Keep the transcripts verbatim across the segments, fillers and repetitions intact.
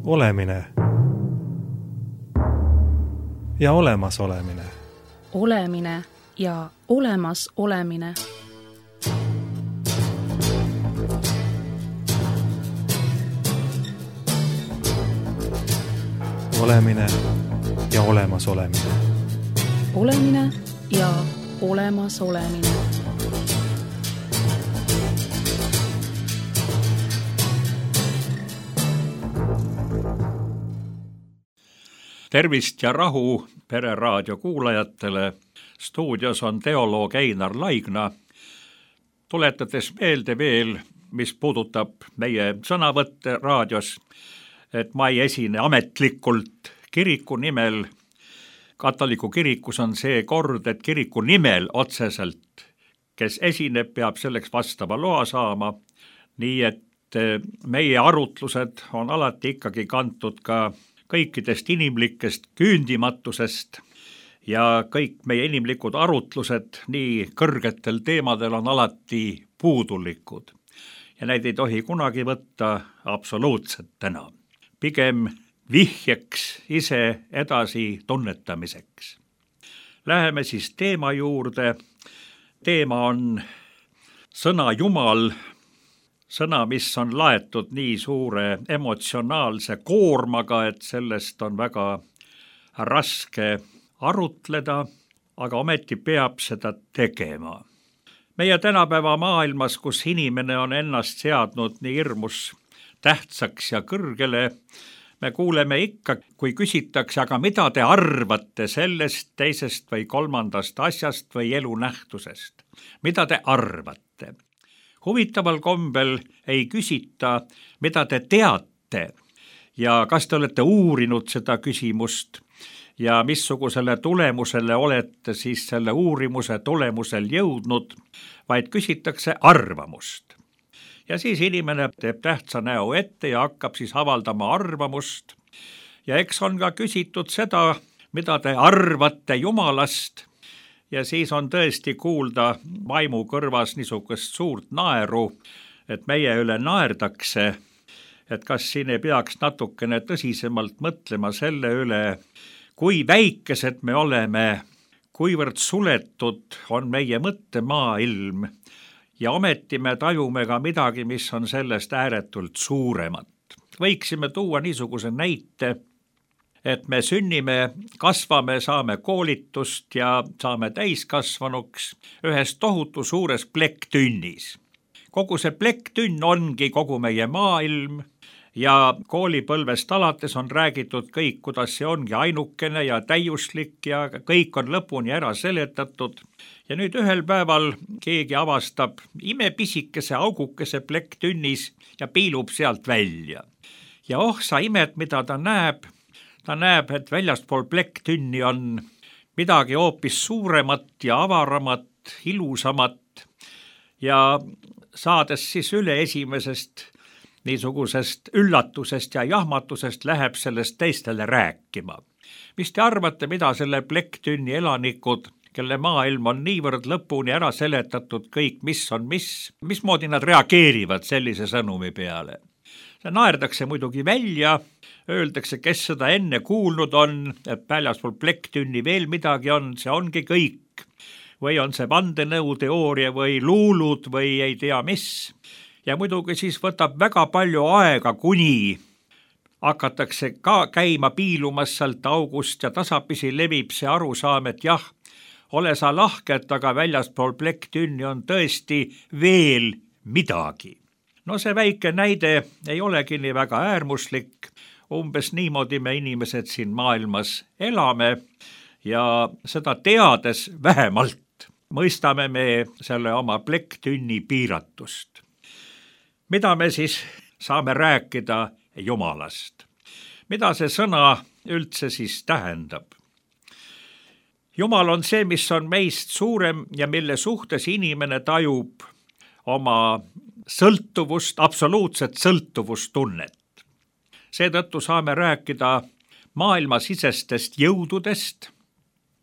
Olemine ja olemas olemine. Olemine ja olemas olemine. Olemine ja olemas olemine. Olemine ja olemas olemine. Tervist ja rahu Pereraadio kuulajatele. Stuudios on teoloog Einar Laigna. Tuletades meelde veel, mis puudutab meie sõnavõtte raadios, et ma ei esine ametlikult kiriku nimel. Katoliku kirikus on see kord, et kiriku nimel otseselt, kes esineb, peab selleks vastava loa saama. Nii et meie arutlused on alati ikkagi kantud ka kõikidest inimlikest küündimatusest ja kõik meie inimlikud arutlused nii kõrgetel teemadel on alati puudulikud. Ja neid ei tohi kunagi võtta absoluutsetena. Pigem vihjeks ise edasi tunnetamiseks. Läheme siis teema juurde. Teema on sõna Jumal, sõna, mis on laetud nii suure emotsionaalse koormaga, et sellest on väga raske arutleda, aga ometi peab seda tegema. Meie tänapäeva maailmas, kus inimene on ennast seadnud nii hirmus tähtsaks ja kõrgele, me kuuleme ikka, kui küsitakse, aga mida te arvate sellest, teisest või kolmandast asjast või elunähtusest? Mida te arvate? Huvitaval kombel ei küsita, mida te teate ja kas te olete uurinud seda küsimust ja missugusele tulemusele olete siis selle uurimuse tulemusel jõudnud, vaid küsitakse arvamust. Ja siis inimene teeb tähtsa näo ette ja hakkab siis avaldama arvamust. Ja eks on ka küsitud seda, mida te arvate Jumalast. Ja siis on tõesti kuulda vaimu kõrvas niisugust suurt naeru, et meie üle naerdakse, et kas siin ei peaks natukene tõsisemalt mõtlema selle üle, kui väikesed me oleme, kuivõrd suletud on meie mõttemaailm ja ometi me tajume ka midagi, mis on sellest ääretult suuremat. Võiksime tuua niisuguse näite, et me sünnime, kasvame, saame koolitust ja saame täiskasvanuks ühes tohutu suures plekktünnis. Kogu see plekktünn ongi kogu meie maailm ja koolipõlvest alates on räägitud kõik, kuidas see ongi ainukene ja täiuslik ja kõik on lõpuni ära seletatud. Ja nüüd ühel päeval keegi avastab imepisikese augukese plekktünnis ja piilub sealt välja. Ja oh, sa imed, mida ta näeb. Ta näeb, et väljaspool plekktünni on midagi hoopis suuremat ja avaramat, ilusamat ja saades siis üle esimesest niisugusest üllatusest ja jahmatusest läheb sellest teistele rääkima. Mis te arvate, mida selle plekktünni elanikud, kelle maailm on niivõrd lõpuni ära seletatud kõik, mis on mis, mismoodi nad reageerivad sellise sõnumi peale? See naerdakse muidugi välja, öeldakse, kes seda enne kuulnud on, et väljaspool plekktünni veel midagi on, see ongi kõik. Või on see vandenõuteooria või luulud või ei tea mis. Ja muidugi siis võtab väga palju aega, kuni hakatakse ka käima piilumas sealt august ja tasapisi levib see arusaam, et jah, ole sa lahket, aga väljaspool plekktünni on tõesti veel midagi. No see väike näide ei olegi nii väga äärmuslik, umbes niimoodi me inimesed siin maailmas elame ja seda teades vähemalt mõistame me selle oma plekktünni piiratust. Mida me siis saame rääkida Jumalast? Mida see sõna üldse siis tähendab? Jumal on see, mis on meist suurem ja mille suhtes inimene tajub oma sõltuvust, absoluutset sõltuvustunnet. Seetõttu saame rääkida maailmasisestest jõududest,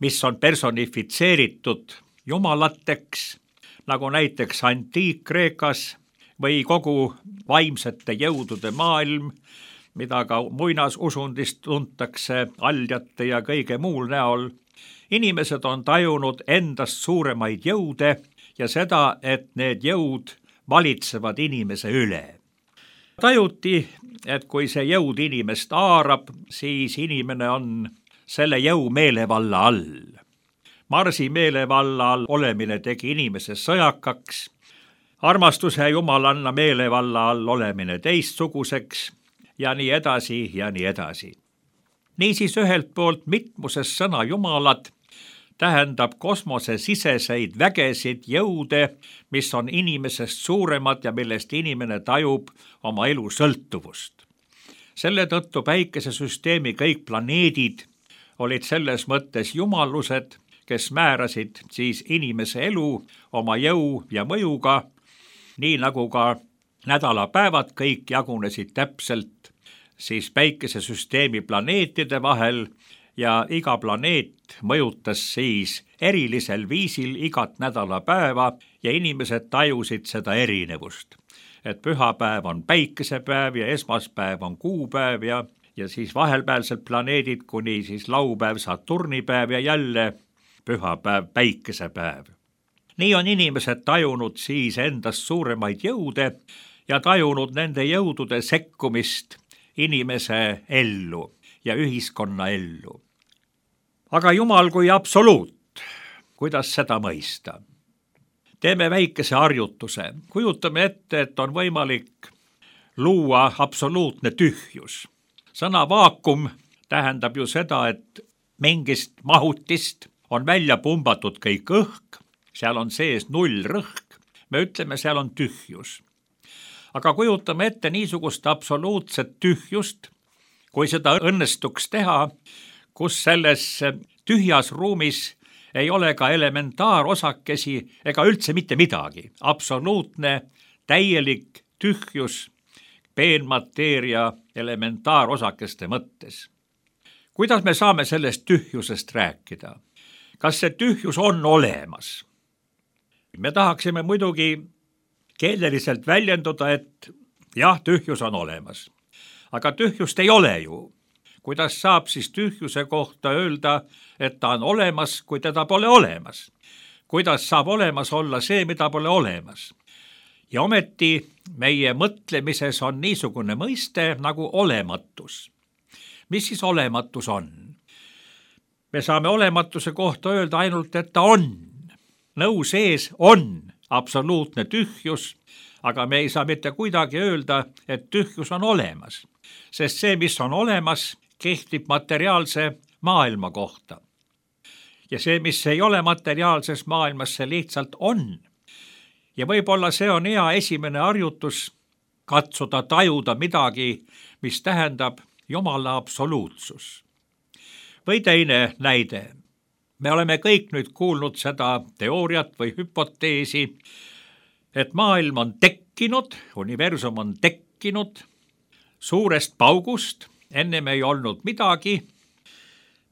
mis on personifitseeritud jumalateks, nagu näiteks Antiik-Kreekas või kogu vaimsete jõudude maailm, mida ka muinasusundist tuntakse aljate ja kõige muul näol. Inimesed on tajunud endast suuremaid jõude ja seda, et need jõud valitsevad inimese üle. Tajuti, et kui see jõud inimest haarab, siis inimene on selle jõu meelevalla all. Marsi meelevalla all olemine tegi inimese sõjakaks, armastuse jumalanna meelevalla all olemine teistsuguseks ja nii edasi ja nii edasi. Niisiis ühelt poolt mitmuses sõna jumalad tähendab kosmosesiseseid vägesid jõude, mis on inimesest suuremad ja millest inimene tajub oma elu sõltuvust. Selle tõttu päikesesüsteemi kõik planeedid olid selles mõttes jumalused, kes määrasid siis inimese elu oma jõu ja mõjuga, nii nagu ka nädalapäevad kõik jagunesid täpselt siis päikesesüsteemi planeetide vahel ja iga planeet mõjutas siis erilisel viisil igat nädalapäeva ja inimesed tajusid seda erinevust. Et pühapäev on päikesepäev ja esmaspäev on kuupäev ja, ja siis vahelpäevsed planeedid kuni siis laupäev, Saturnipäev ja jälle pühapäev, päikesepäev. Nii on inimesed tajunud siis endast suuremaid jõude ja tajunud nende jõudude sekkumist inimese ellu ja ühiskonna ellu. Aga Jumal kui absoluut, kuidas seda mõista? Teeme väikese harjutuse. Kujutame ette, et on võimalik luua absoluutne tühjus. Sõna vaakum tähendab ju seda, et mingist mahutist on välja pumbatud kõik õhk, seal on sees null rõhk, me ütleme, seal on tühjus. Aga kujutame ette niisugust absoluutset tühjust, kui seda õnnestuks teha, kus selles tühjas ruumis ei ole ka elementaarosakesi ega üldse mitte midagi. Absoluutne, täielik tühjus peenmateeria elementaarosakeste mõttes. Kuidas me saame sellest tühjusest rääkida? Kas see tühjus on olemas? Me tahaksime muidugi keeleliselt väljenduda, et jah, tühjus on olemas. Aga tühjust ei ole ju. Kuidas saab siis tühjuse kohta öelda, et ta on olemas, kui teda pole olemas? Kuidas saab olemas olla see, mida pole olemas? Ja ometi meie mõtlemises on niisugune mõiste nagu olematus. Mis siis olematus on? Me saame olematuse kohta öelda ainult, et ta on. Nõu sees on absoluutne tühjus, aga me ei saa mitte kuidagi öelda, et tühjus on olemas, sest see, mis on olemas, kehtib materiaalse maailma kohta. Ja see, mis ei ole materiaalses maailmas, see lihtsalt on. Ja võib-olla see on hea esimene harjutus katsuda tajuda midagi, mis tähendab Jumala absoluutsus. Või teine näide. Me oleme kõik nüüd kuulnud seda teooriat või hüpoteesi, et maailm on tekkinud, universum on tekkinud suurest paugust, ennem ei olnud midagi.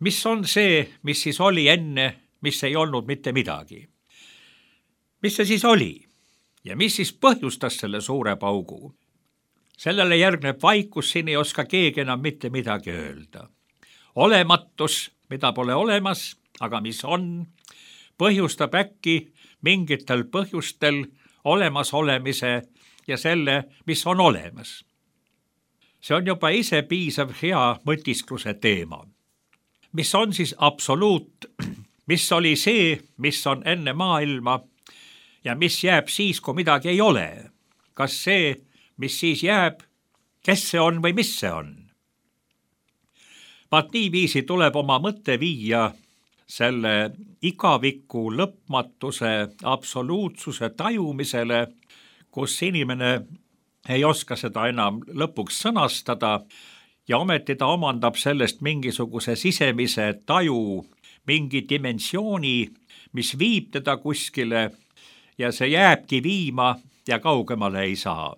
Mis on see, mis siis oli enne, mis ei olnud mitte midagi? Mis see siis oli? Ja mis siis põhjustas selle suure paugu? Sellele järgneb vaikus, siin ei oska keegi enam mitte midagi öelda. Olematus, mida pole olemas, aga mis on, põhjustab äkki mingitel põhjustel olemasolemise ja selle, mis on olemas. See on juba ise piisav hea mõtiskluse teema. Mis on siis absoluut, mis oli see, mis on enne maailma ja mis jääb siis, kui midagi ei ole? Kas see, mis siis jääb, kes see on või mis see on? Vaat niiviisi tuleb oma mõtte viia selle igaviku lõpmatuse absoluutsuse tajumisele, kus inimene ei oska seda enam lõpuks sõnastada ja ometi ta omandab sellest mingisuguse sisemise taju, mingi dimensiooni, mis viib teda kuskile ja see jääbki viima ja kaugemale ei saa.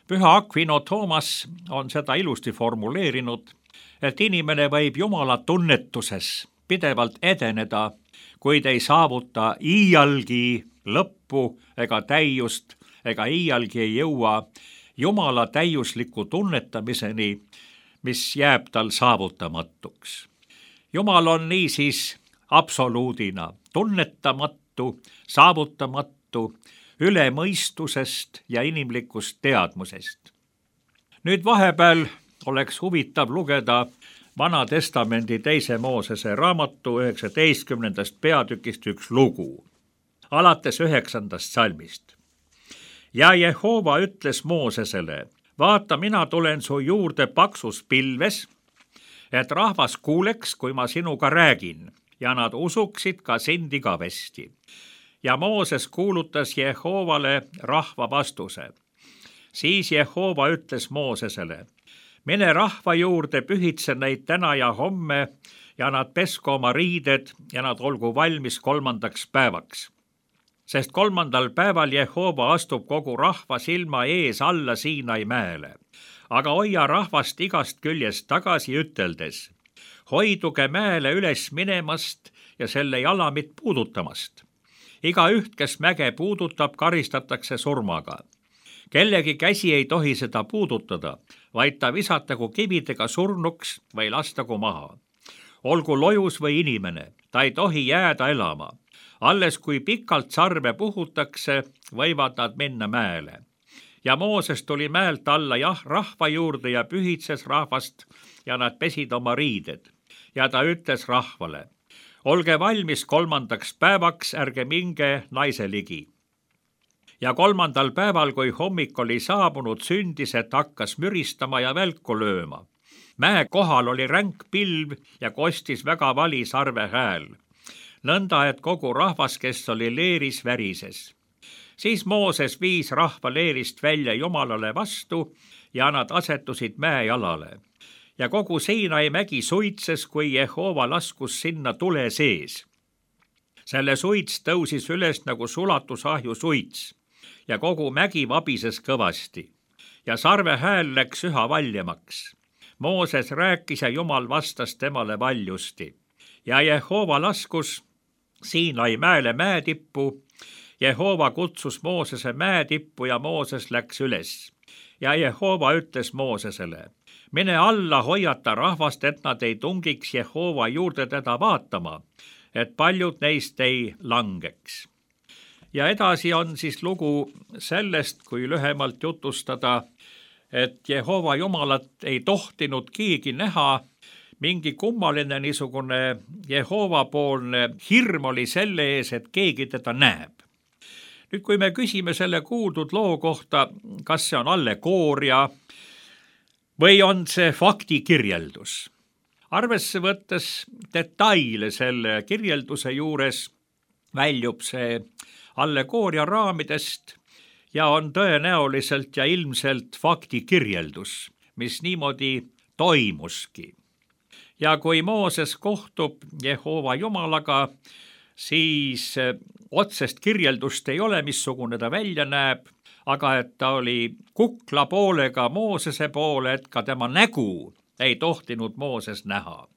Püha Aquino Toomas on seda ilusti formuleerinud, et inimene võib Jumala tunnetuses pidevalt edeneda, kuid ei saavuta iialgi lõppu ega täiust ega iialgi ei jõua Jumala täiusliku tunnetamiseni, mis jääb tal saavutamatuks. Jumal on niisiis absoluudina tunnetamatu, saavutamatu, üle mõistusest ja inimlikust teadmusest. Nüüd vahepeal oleks huvitav lugeda Vana Testamendi teise Moosese raamatu üheksateistkümnendast peatükist üks lugu, alates üheksandast salmist. Ja Jehova ütles Moosesele, vaata, mina tulen su juurde paksus pilves, et rahvas kuuleks, kui ma sinuga räägin, ja nad usuksid ka sind igavesti. Ja Mooses kuulutas Jehovale rahva vastuse. Siis Jehova ütles Moosesele, mine rahva juurde, pühitse neid täna ja homme ja nad pesku oma riided ja nad olgu valmis kolmandaks päevaks. Sest kolmandal päeval Jehova astub kogu rahva silma ees alla Siinai mäele. Aga hoia rahvast igast küljest tagasi üteldes, hoiduge mäele üles minemast ja selle jalamit puudutamast. Iga üht, kes mäge puudutab, karistatakse surmaga. Kellegi käsi ei tohi seda puudutada, vaid ta visatagu kividega surnuks või lastagu maha. Olgu lojus või inimene, ta ei tohi jääda elama. Alles kui pikalt sarve puhutakse, võivad nad minna mäele. Ja Mooses tuli mäelt alla jah rahva juurde ja pühitses rahvast ja nad pesid oma riided. Ja ta ütles rahvale, olge valmis kolmandaks päevaks, ärge minge naise ligi. Ja kolmandal päeval, kui hommik oli saabunud, sündis, et hakkas müristama ja välku lööma. Mäe kohal oli ränk pilv ja kostis väga vali sarve hääl. Nõnda, et kogu rahvas, kes oli leeris, värises. Siis Mooses viis rahva leerist välja Jumalale vastu ja nad asetusid mäejalale. Ja kogu Siinai mägi suitses, kui Jehova laskus sinna tule sees. Selle suits tõusis üles nagu sulatusahju suits ja kogu mägi vabises kõvasti. Ja sarve hääl läks üha valjemaks. Mooses rääkis ja Jumal vastas temale valjusti. Ja Jehova laskus Siinai mäele mäetippu. Jehova kutsus Moosese mäetippu ja Mooses läks üles. Ja Jehova ütles Moosesele, mine alla, hoiata rahvast, et nad ei tungiks Jehova juurde teda vaatama, et paljud neist ei langeks. Ja edasi on siis lugu sellest, kui lühemalt jutustada, et Jehova Jumalat ei tohtinud keegi näha. Mingi kummaline niisugune Jehova poolne hirm oli selle ees, et keegi teda näeb. Nüüd, kui me küsime selle kuuldud loo kohta, kas see on allegooria või on see faktikirjeldus. Arvesse võttes detaile selle kirjelduse juures väljub see allegooria raamidest ja on tõenäoliselt ja ilmselt faktikirjeldus, mis niimoodi toimuski. Ja kui Mooses kohtub Jehova Jumalaga, siis otsest kirjeldust ei ole, missugune ta välja näeb, aga et ta oli kukla poolega Moosese poole, et ka tema nägu ei tohtinud Mooses näha.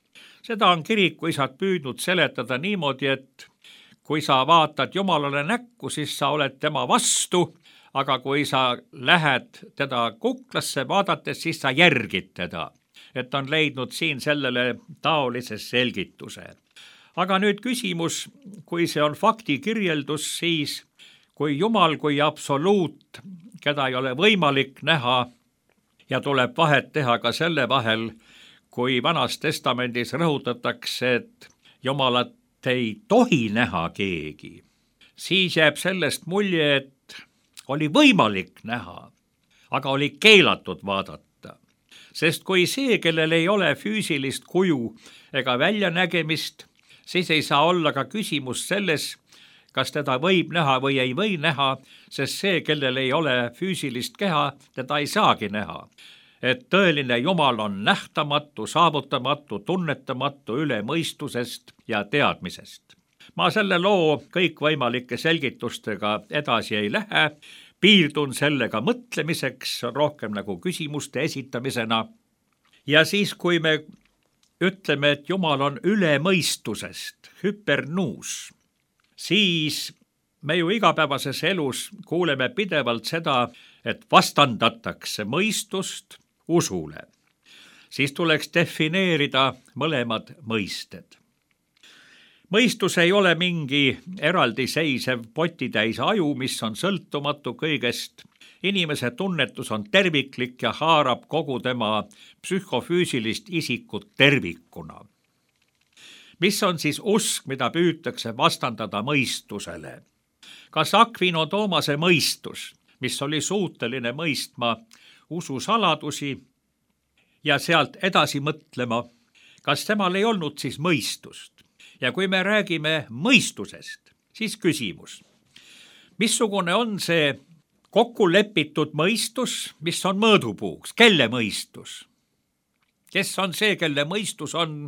Seda on kirikuisad püüdnud seletada niimoodi, et kui sa vaatad Jumalale näkku, siis sa oled tema vastu, aga kui sa lähed teda kuklasse vaadates, siis sa järgid teda. Et on leidnud siin sellele taolise selgituse. Aga nüüd küsimus, kui see on faktikirjeldus, siis kui Jumal kui absoluut, keda ei ole võimalik näha ja tuleb vahet teha ka selle vahel, kui Vanas Testamendis rõhutatakse, et Jumalat ei tohi näha keegi, siis jääb sellest mulje, et oli võimalik näha, aga oli keelatud vaadata. Sest kui see, kellel ei ole füüsilist kuju ega väljanägemist, siis ei saa olla ka küsimus selles, kas teda võib näha või ei või näha, sest see, kellel ei ole füüsilist keha, teda ei saagi näha. Et tõeline Jumal on nähtamatu, saavutamatu, tunnetamatu üle mõistusest ja teadmisest. Ma selle loo kõikvõimalike selgitustega edasi ei lähe, piirdun sellega mõtlemiseks, rohkem nagu küsimuste esitamisena. Ja siis, kui me ütleme, et Jumal on üle mõistusest, hypernuus, siis me ju igapäevases elus kuuleme pidevalt seda, et vastandatakse mõistust usule, siis tuleks defineerida mõlemad mõisted. Mõistus ei ole mingi eraldiseisev potitäis aju, mis on sõltumatu kõigest. Inimese tunnetus on terviklik ja haarab kogu tema psühhofüüsilist isikut tervikuna. Mis on siis usk, mida püütakse vastandada mõistusele? Kas Aquino Tomase mõistus, mis oli suuteline mõistma usu saladusi ja sealt edasi mõtlema, kas temal ei olnud siis mõistust? Ja kui me räägime mõistusest, siis küsimus, missugune on see kokku lepitud mõistus, mis on mõõdupuuks, kelle mõistus? Kes on see, kelle mõistus on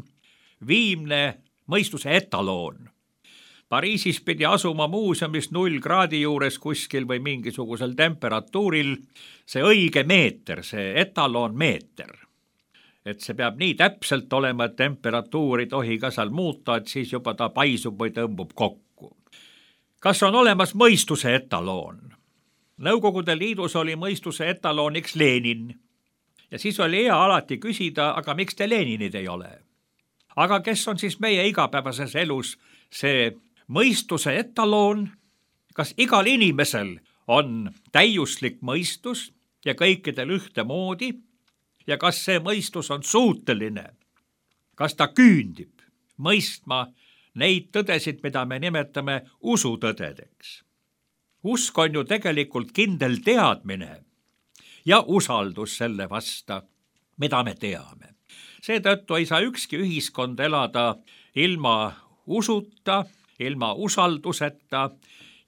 viimne mõistuse etaloon? Pariisis pidi asuma muuseumis null kraadi juures kuskil või mingisugusel temperatuuril see õige meeter, see etaloon meeter. Et see peab nii täpselt olema, et temperatuuri tohi ka seal muuta, et siis juba ta paisub või tõmbub kokku. Kas on olemas mõistuse etaloon? Nõukogude Liidus oli mõistuse etalooniks Lenin. Ja siis oli hea alati küsida, aga miks te Leninid ei ole? Aga kes on siis meie igapäevases elus see mõistuse etaloon? Kas igal inimesel on täiuslik mõistus ja kõikidel ühtemoodi? Ja kas see mõistus on suuteline? Kas ta küündib mõistma neid tõdesid, mida me nimetame usutõdedeks? Usk on ju tegelikult kindel teadmine ja usaldus selle vasta, mida me teame. Seetõttu ei saa ükski ühiskond elada ilma usuta, ilma usalduseta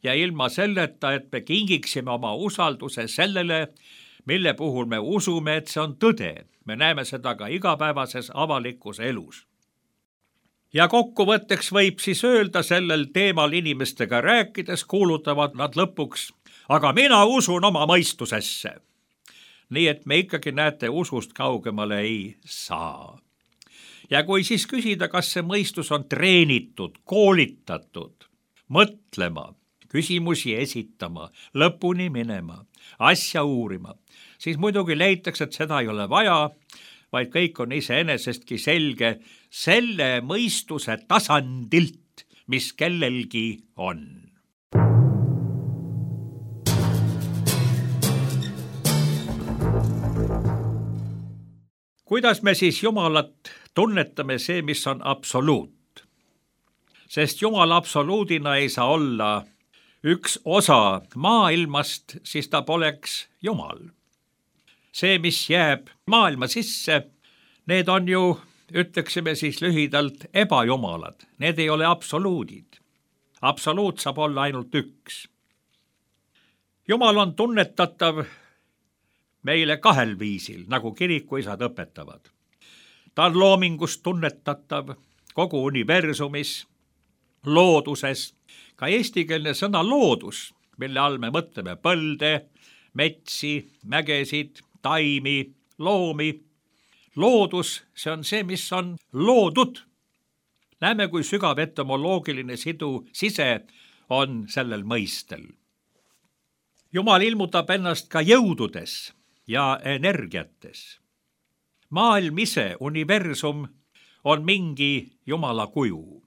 ja ilma selleta, et me kingiksime oma usalduse sellele, mille puhul me usume, et see on tõde. Me näeme seda ka igapäevases avalikus elus. Ja kokkuvõtteks võib siis öelda sellel teemal inimestega rääkides, kuulutavad nad lõpuks, aga mina usun oma mõistusesse. Nii et me ikkagi näete usust kaugemale ei saa. Ja kui siis küsida, kas see mõistus on treenitud, koolitatud, mõtlema, küsimusi esitama, lõpuni minema, asja uurima, siis muidugi leitakse, et seda ei ole vaja, vaid kõik on iseenesestki selge selle mõistuse tasandilt, mis kellelgi on. Kuidas me siis Jumalat tunnetame see, mis on absoluut? Sest Jumal absoluudina ei saa olla üks osa maailmast, siis ta poleks Jumal. See, mis jääb maailma sisse, need on ju, ütleksime siis lühidalt, ebajumalad. Need ei ole absoluudid. Absoluut saab olla ainult üks. Jumal on tunnetatav meile kahel viisil, nagu kirikuisad õpetavad. Ta on loomingust tunnetatav kogu universumis, looduses, ka eestikeelne sõna loodus, mille all me mõtleme põlde, metsi, mägesid, taimi, loomi. Loodus, see on see, mis on loodud. Näeme, kui sügav etymoloogiline sidu sise on sellel mõistel. Jumal ilmutab ennast ka jõududes ja energiates. Maailm ise, universum, on mingi Jumala kuju.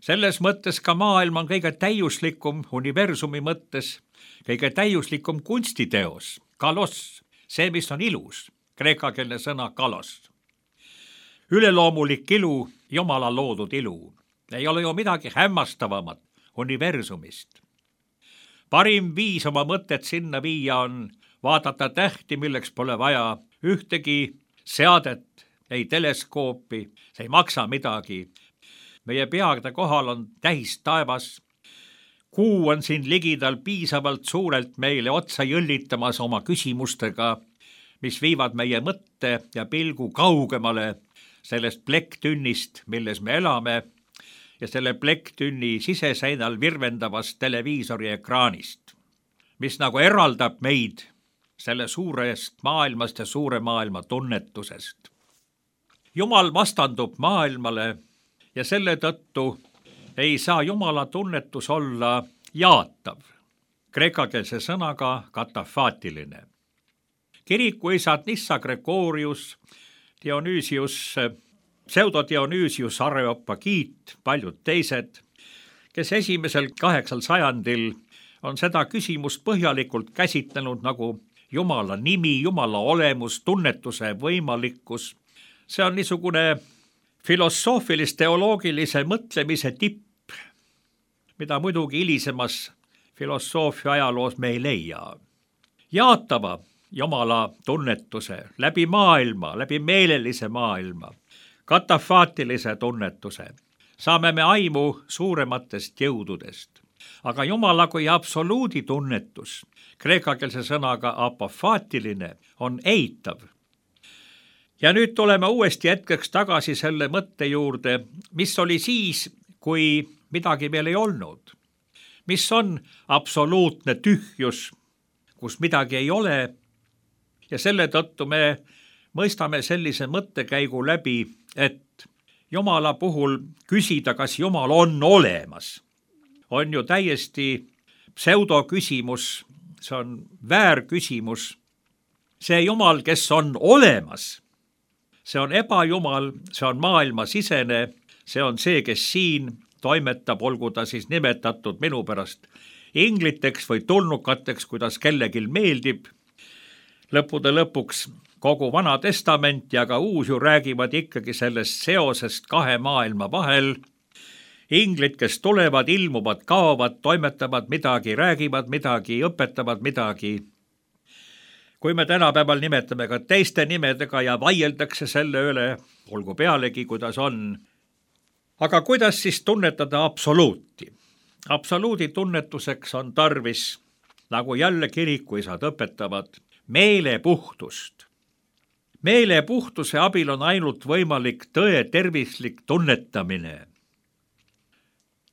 Selles mõttes ka maailm on kõige täiuslikum universumi mõttes, kõige täiuslikum kunstiteos, kalos, see, mis on ilus, kreekakeelne sõna kalos. Üleloomulik ilu, Jumala loodud ilu, ei ole ju midagi hämmastavamat universumist. Parim viis oma mõtet sinna viia on vaadata tähti, milleks pole vaja ühtegi seadet, ei teleskoopi, see ei maksa midagi. Meie peade kohal on täis taevas. Kuu on siin ligidal piisavalt suurelt meile otsa jõllitamas oma küsimustega, mis viivad meie mõtte ja pilgu kaugemale sellest plekktünnist, milles me elame, ja selle plekktünni siseseinal virvendavast televiisori ekraanist, mis nagu eraldab meid selle suurest maailmast ja suure maailma tunnetusest. Jumal vastandub maailmale ja selle tõttu ei saa Jumala tunnetus olla jaatav. kreekakeelse sõnaga katafaatiline. Kirikuisad Nissa Gregorius, Dionüüsius, pseudodionüüsius Areopagiit, paljud teised, kes esimesel kaheksal sajandil on seda küsimust põhjalikult käsitlenud nagu Jumala nimi, Jumala olemus, tunnetuse võimalikkus. See on niisugune filosoofilist-teoloogilise mõtlemise tipp, mida muidugi hilisemas filosoofia ajaloos me ei leia. Jaatava Jumala tunnetuse läbi maailma, läbi meelelise maailma, katafaatilise tunnetuse, saame me aimu suurematest jõududest. Aga Jumala kui absoluudi tunnetus, kreekakeelse sõnaga apofaatiline, on eitav. Ja nüüd tuleme uuesti hetkeks tagasi selle mõtte juurde, mis oli siis, kui midagi veel ei olnud. Mis on absoluutne tühjus, kus midagi ei ole, ja selle tõttu me mõistame sellise mõttekäigu läbi, et Jumala puhul küsida, kas Jumal on olemas, on ju täiesti pseudoküsimus, see on väärküsimus. See Jumal, kes on olemas, see on ebajumal, see on maailmasisene, see on see, kes siin toimetab, olgu ta siis nimetatud minu pärast ingliteks või tulnukateks, kuidas kellelgi meeldib. Lõppude lõpuks kogu Vana Testament ja ka uus ju räägivad ikkagi sellest seosest kahe maailma vahel. Inglid, kes tulevad, ilmuvad, kaovad, toimetavad midagi, räägivad midagi, õpetavad midagi. Kui me tänapäeval nimetame ka teiste nimedega ja vaieldakse selle üle, olgu pealegi, kuidas on. Aga kuidas siis tunnetada absoluuti? Absoluudi tunnetuseks on tarvis, nagu jälle kirikuisad õpetavad, meelepuhtust. Meelepuhtuse abil on ainult võimalik tõe tervislik tunnetamine.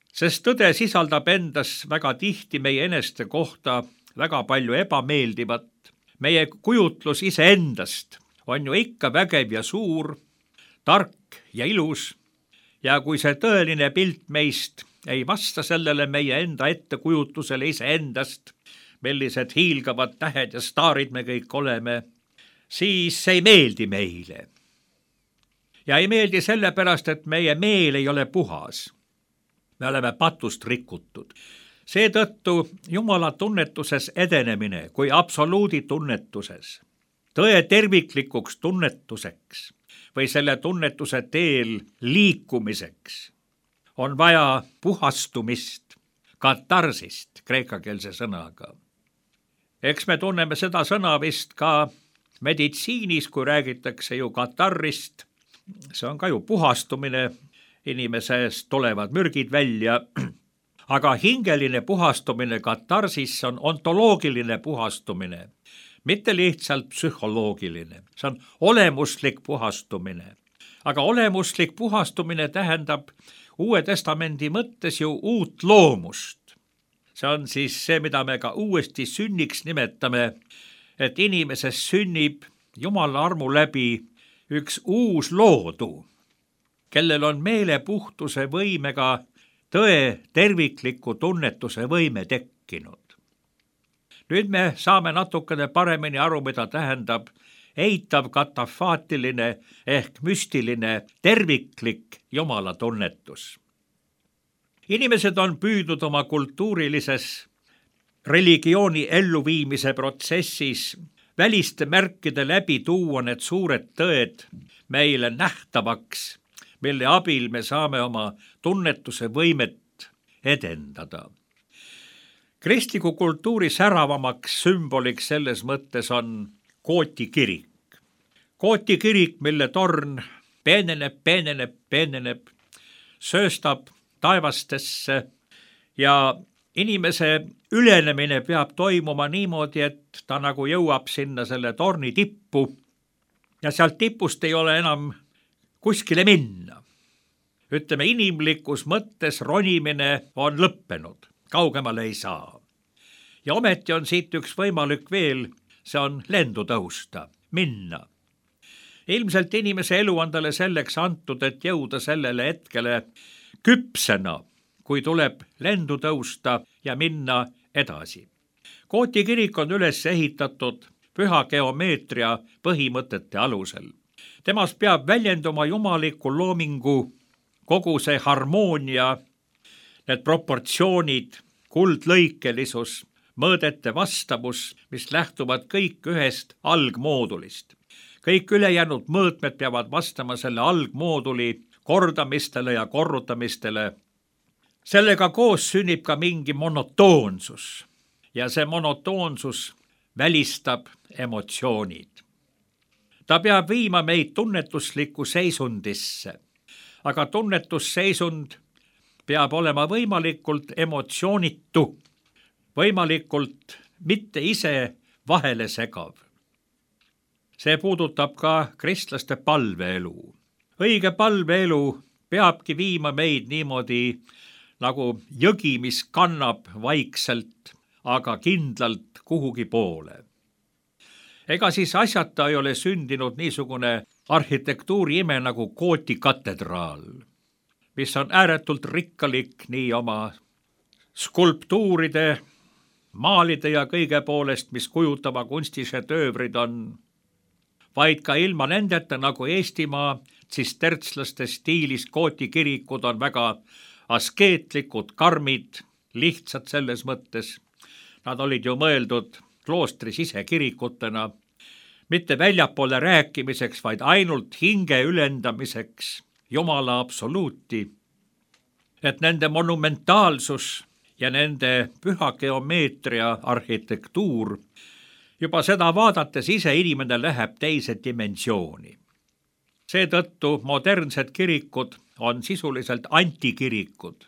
Sest tõde sisaldab endas väga tihti meie eneste kohta väga palju ebameeldivat. Meie kujutlus iseendast on ju ikka vägev ja suur, tark ja ilus. Ja kui see tõeline pilt meist ei vasta sellele meie enda ettekujutlusele iseendast, millised hiilgavad tähed ja staarid me kõik oleme, siis see ei meeldi meile. Ja ei meeldi sellepärast, et meie meel ei ole puhas. Me oleme patust rikutud. Seetõttu Jumala tunnetuses edenemine kui absoluudi tunnetuses, tõe terviklikuks tunnetuseks või selle tunnetuse teel liikumiseks on vaja puhastumist, katarsist, kreekakeelse sõnaga. Eks me tunneme seda sõna vist ka meditsiinis, kui räägitakse ju katarrist. See on ka ju puhastumine, inimesest tulevad mürgid välja, aga hingeline puhastumine katarsis on ontoloogiline puhastumine, mitte lihtsalt psühholoogiline. See on olemuslik puhastumine. Aga olemuslik puhastumine tähendab Uue Testamendi mõttes ju uut loomust. See on siis see, mida me ka uuesti sünniks nimetame, et inimeses sünnib Jumala armu läbi üks uus loodu, kellel on meelepuhtuse võimega tõe tervikliku tunnetuse võime tekkinud. Nüüd me saame natukene paremini aru, mida tähendab eitav katafaatiline ehk müstiline terviklik Jumala tunnetus. Inimesed on püüdnud oma kultuurilises religiooni elluviimise protsessis väliste märkide läbi tuua need suured tõed meile nähtavaks, mille abil me saame oma tunnetuse võimet edendada. Kristliku kultuuri säravamaks sümboliks selles mõttes on Kooti kirik. Kooti kirik, mille torn peeneneb, peeneneb, peeneneb, sööstab taevastesse ja inimese ülenemine peab toimuma niimoodi, et ta nagu jõuab sinna selle torni tippu ja sealt tipust ei ole enam kuskile minna. Ütleme, inimlikus mõttes ronimine on lõppenud, kaugemale ei saa. Ja ometi on siit üks võimalik veel, see on lendu tõusta, minna. Ilmselt inimese elu on talle selleks antud, et jõuda sellele hetkele küpsena, kui tuleb lendu tõusta ja minna edasi. Gooti kirik on üles ehitatud püha geomeetria põhimõtete alusel. Temas peab väljenduma jumaliku loomingu kogu see harmoonia, need proportsioonid, kuldlõikelisus, mõõdete vastavus, mis lähtuvad kõik ühest algmoodulist. Kõik ülejäänud mõõtmed peavad vastama selle algmooduli kordamistele ja korrutamistele. Sellega koos sünnib ka mingi monotoonsus ja see monotoonsus välistab emotsioonid. Ta peab viima meid tunnetuslikku seisundisse, aga tunnetusseisund peab olema võimalikult emotsioonitu, võimalikult mitte ise vahele segav. See puudutab ka kristlaste palveelu. Õige palveelu peabki viima meid niimoodi nagu jõgi, mis kannab vaikselt, aga kindlalt kuhugi poole. Ega siis asjata ei ole sündinud niisugune arhitektuuri ime nagu Gooti katedraal, mis on ääretult rikkalik nii oma skulptuuride, maalide ja kõige poolest, mis kujutava kunstišedöövrid on, vaid ka ilma nendeta nagu Eestimaa tsistertslaste stiilis Gooti kirikud on väga askeetlikud, karmid, lihtsad selles mõttes. Nad olid ju mõeldud kloostri sisekirikutena, mitte väljapoole rääkimiseks, vaid ainult hinge ülendamiseks Jumala absoluuti, et nende monumentaalsus ja nende püha geomeetria arhitektuur, juba seda vaadates ise inimene läheb teise dimensiooni. Seetõttu modernsed kirikud on sisuliselt antikirikud.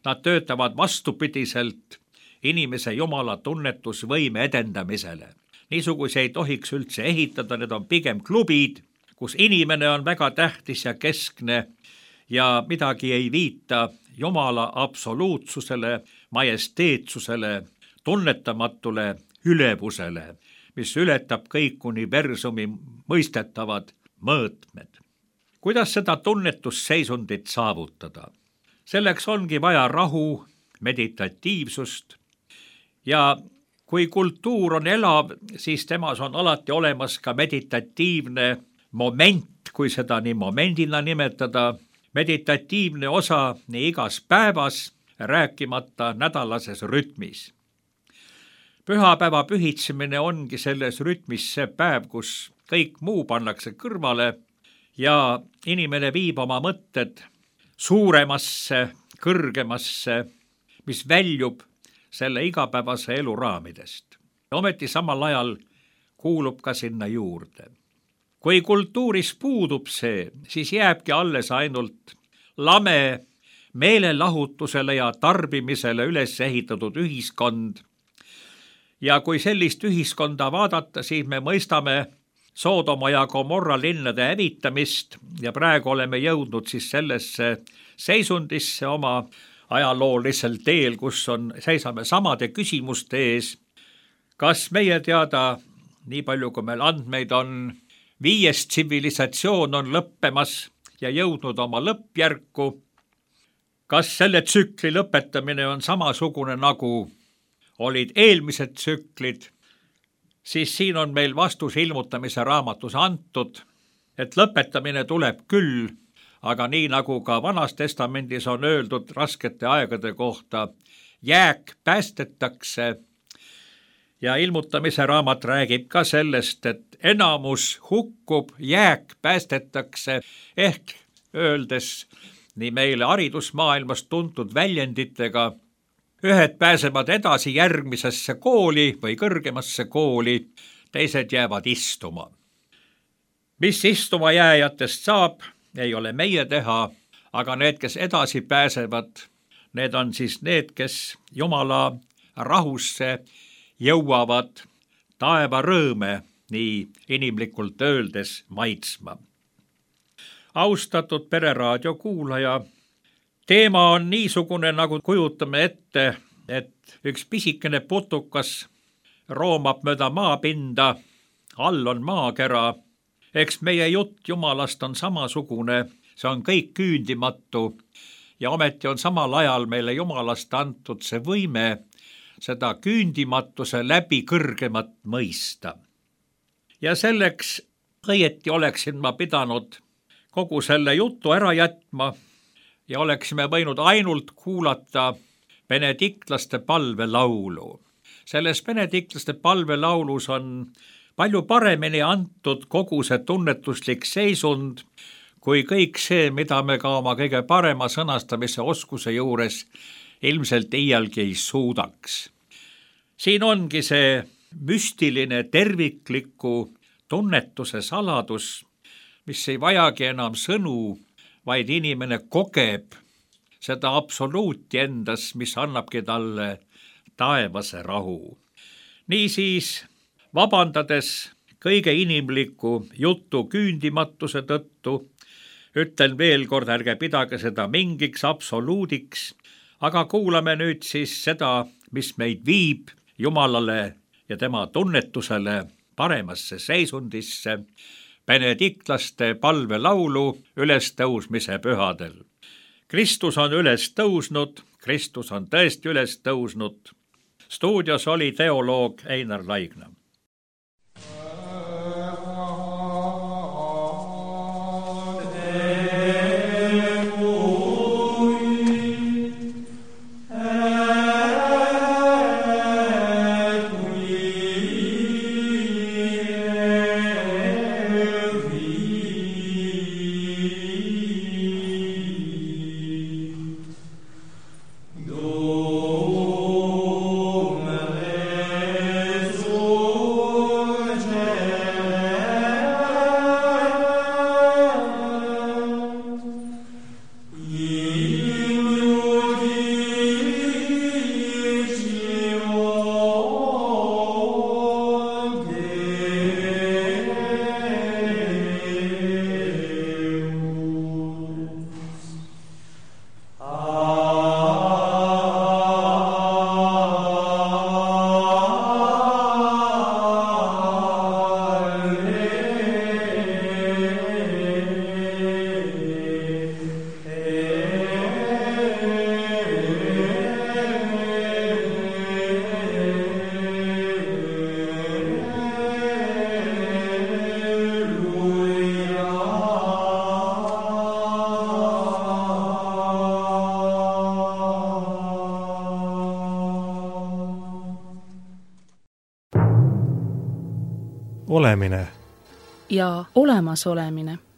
Nad töötavad vastupidiselt inimese Jumala tunnetusvõime edendamisele. Niisuguse ei tohiks üldse ehitada, need on pigem klubid, kus inimene on väga tähtis ja keskne ja midagi ei viita Jumala absoluutsusele, majesteetsusele, tunnetamatule ülevusele, mis ületab kõik universumi mõistetavad mõõtmed. Kuidas seda tunnetusseisundit saavutada? Selleks ongi vaja rahu, meditatiivsust ja kui kultuur on elav, siis temas on alati olemas ka meditatiivne moment, kui seda nii momendina nimetada, meditatiivne osa nii igas päevas, rääkimata nädalases rütmis. Pühapäeva pühitsemine ongi selles rütmis see päev, kus kõik muu pannakse kõrvale ja inimene viib oma mõtted suuremasse, kõrgemasse, mis väljub selle igapäevase elu raamidest. Ometi samal ajal kuulub ka sinna juurde. Kui kultuuris puudub see, siis jääbki alles ainult lame meelelahutusele ja tarbimisele üles ehitatud ühiskond. Ja kui sellist ühiskonda vaadata, siis me mõistame Soodoma ja Gomorra linnade hävitamist ja praegu oleme jõudnud siis sellesse seisundisse oma ajaloolisel teel, kus on, seisame samade küsimuste ees. Kas meie teada, nii palju kui meil andmeid on, viies tsivilisatsioon on lõppemas ja jõudnud oma lõppjärku? Kas selle tsükli lõpetamine on samasugune nagu olid eelmised tsüklid? Siis siin on meil vastus ilmutamise raamatus antud, et lõpetamine tuleb küll, aga nii nagu ka Vanas Testamendis on öeldud raskete aegade kohta, jääk päästetakse ja ilmutamise raamat räägib ka sellest, et enamus hukkub, jääk päästetakse, ehk öeldes nii meile haridusmaailmas tuntud väljenditega, ühed pääsevad edasi järgmisesse kooli või kõrgemasse kooli, teised jäävad istuma. Mis istuma jääjatest saab, ei ole meie teha, aga need, kes edasi pääsevad, need on siis need, kes Jumala rahusse jõuavad taeva rõõme, nii inimlikult öeldes, maitsma. Austatud Pereraadio kuulaja, teema on niisugune, nagu kujutame ette, et üks pisikene putukas roomab mööda maapinda, all on maakera. Eks meie jutt Jumalast on samasugune, see on kõik küündimatu ja ometi on samal ajal meile Jumalast antud see võime seda küündimatuse läbi kõrgemat mõista. Ja selleks õieti oleksin ma pidanud kogu selle jutu ära jätma ja oleksime võinud ainult kuulata benediktlaste palvelaulu. Selles benediktlaste palvelaulus on palju paremini antud kogu see tunnetuslik seisund, kui kõik see, mida me ka oma kõige parema sõnastamise oskuse juures ilmselt iialgi ei suudaks. Siin ongi see müstiline tervikliku tunnetuse saladus, mis ei vajagi enam sõnu, vaid inimene kogeb seda absoluuti endas, mis annabki talle taevase rahu. Niisiis, vabandades kõige inimliku jutu küündimatuse tõttu, ütlen veel kord, ärge pidage seda mingiks absoluudiks, aga kuulame nüüd siis seda, mis meid viib Jumalale ja tema tunnetusele paremasse seisundisse, benediktlaste palvelaulu ülestõusmise pühadel. Kristus on üles tõusnud, Kristus on tõesti üles tõusnud. Stuudios oli teoloog Einar Laigna. Olemine ja olemasolemine.